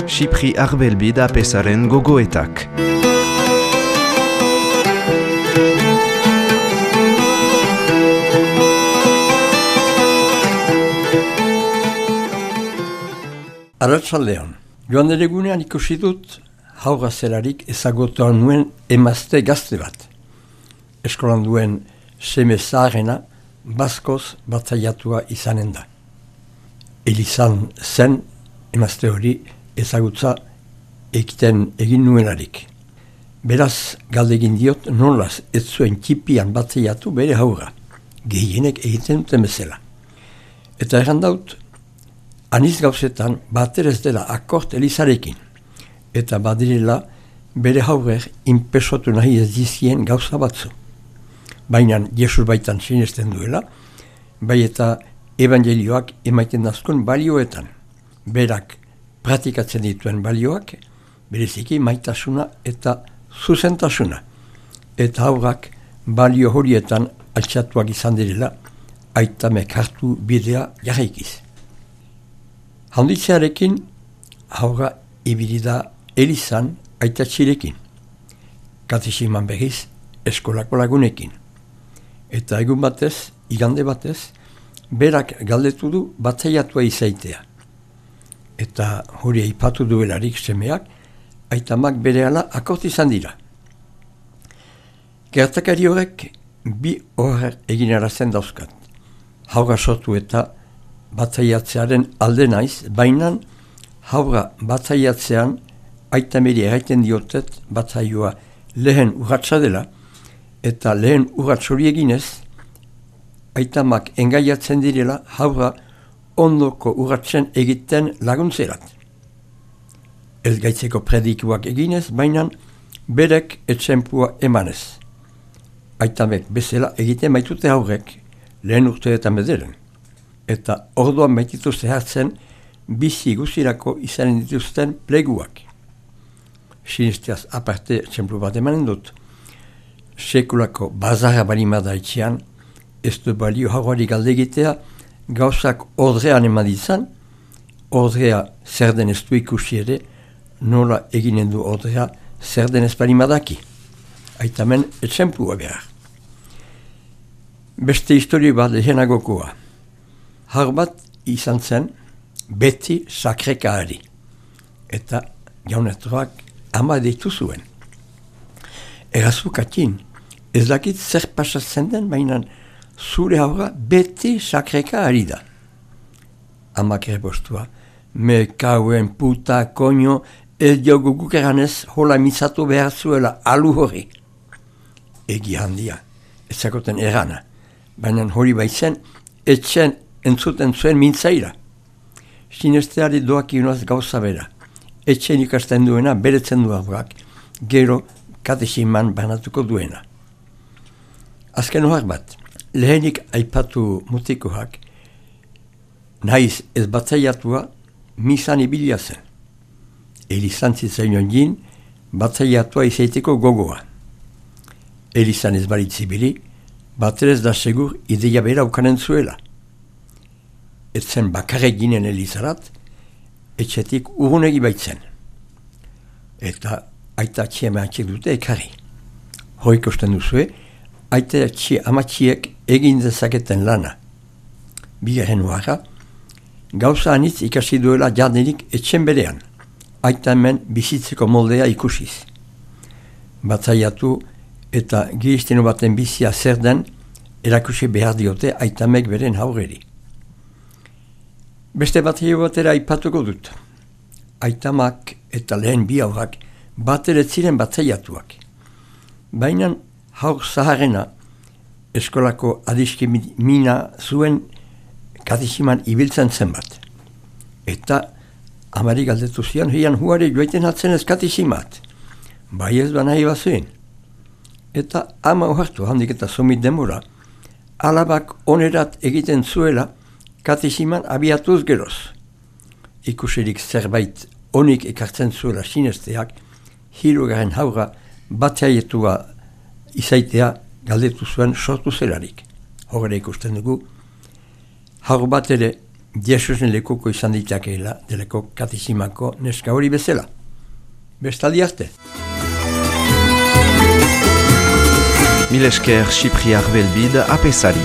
Xipri Arbelbi da pesaren gogoetak. Arratsaldean, joan egunean ikusi dut haurra zelarik ezagutuan nuen emazte gazte bat. Eskolan duen seme zaharrena baskoz batzaiatua izanen da. Elizan zen emazte hori ezagutza egin nuelarik. Beraz galdegin diot nolaz ez zuen txipian batzaiatu bere haurra, gehienek egiten duten bezala. Eta errandaut, aniz gauzetan baterez dela akort Elizarekin, eta badirela bere haurrer inpesotu nahi ez dizien gauza batzu. Baina Jesus baitan sinesten duela, bai eta evangelioak emaiten dazkun balioetan. Berak pratikatzen dituen balioak, bereziki maitasuna eta zuzentasuna. Eta haurrak balio horietan altxatuak izan direla, aitamek hartu bidea jarraikiz. Handitzearekin haurra ibili da Elizan aitatxirekin, katesiman berriz eskolako lagunekin. Eta egun batez, igande batez, berak galdetu du batzaiatua izaitea. Eta hori aipatu duelarik semeak, aitamak berehala akort izan dira. Gertakari horrek bi horrer egin dauzkat. Haurra sortu eta batzaiatzearen alde naiz, baina haurra batzaiatzean aitameri erraiten diotet batzaioa lehen urratsa dela, eta lehen urrats hori eginez, aitamak engaiatzen direla haurra ondoko urratsen egiten laguntzerat. Ez gaitzeko predikuak eginez, baina berek etxempua emanez. Aitamek bezala egiten baitute haurrek lehen urteetan bederen. Eta orduan baitituzte hartzen bizi guzirako izanen dituzten pleguak. Sinesteaz aparte txemplu bat emanen dut. Sekulako bazarra balimada etxean, ez du balio haurari galdegitea, gauzak ordrean emaditzan, ordrea zer den ez du ikusi ere, nola eginen du ordrea zer den ez balimadaki. Aitamen etxemplua behar. Beste historio bat lehenagokoa. Har bat izan zen beti sakrekaari. Eta jaunetroak ama deitu zuen. Errazukatin, ez dakit zer pasatzen den, baina zure haurra beti sakrekaari da. Amak errepostua, me kauen puta koño, ez diogu gukeranez hola mitzatu behar zuela alu hori. Egi handia, ez zakoten erana, baina hori baitzen, etxen entzuten zuen mintzaira. Sinesteari doak inoaz gauza bera. Etxen ikasten duena beretzen du haurrak, gero katesiman banatuko duena. Azken ohar bat, lehenik aipatu mutikoak, nahiz ez batzaiatua misan ibilia zen. Elizan zitzainon jin, batzaiatua izaiteko gogoa. Elizan ez balitzibili, baterez da segur ideia bera ukanen zuela. Etzen bakarrik ginen Elizarat, etxetik urgunegi baitzen. Eta aita txie mehatxek dute ekarri. Horik osten duzue, aita txie amatxiek egin dezaketen lana. Bigarren uara, gauza anitz ikasi duela jardenik etxen berean, aita hemen bizitzeko moldea ikusiz. Batzaiatu eta giristeno baten bizia zer den, erakusi behar diote aitamek beren haurreri. Beste batzio batera aipatuko dut. Aitamak eta lehen bi haurrak bateret ziren batzaiatuak. Baina haur zaharrena eskolako adiski mina zuen katesiman ibiltzen zen bat. Eta amari galdetu zian, hian huare joaiten hatzen ez katesimat. Bai ez ba nahi bazuen. Eta ama ohartu handik eta somit demora, alabak onerat egiten zuela katesiman abiatuz geroz. Ikusirik zerbait onik ekartzen zuela sinesteak, hirugaren haurra batzaiatua izaitea galdetu zuen sortu zelarik. Horre ikusten dugu, haur bat ere Jesusen lekuko izan ditakeela, deleko katizimako neska hori bezala. Bestaldi arte. Mil esker Cipriar Belbid apesari.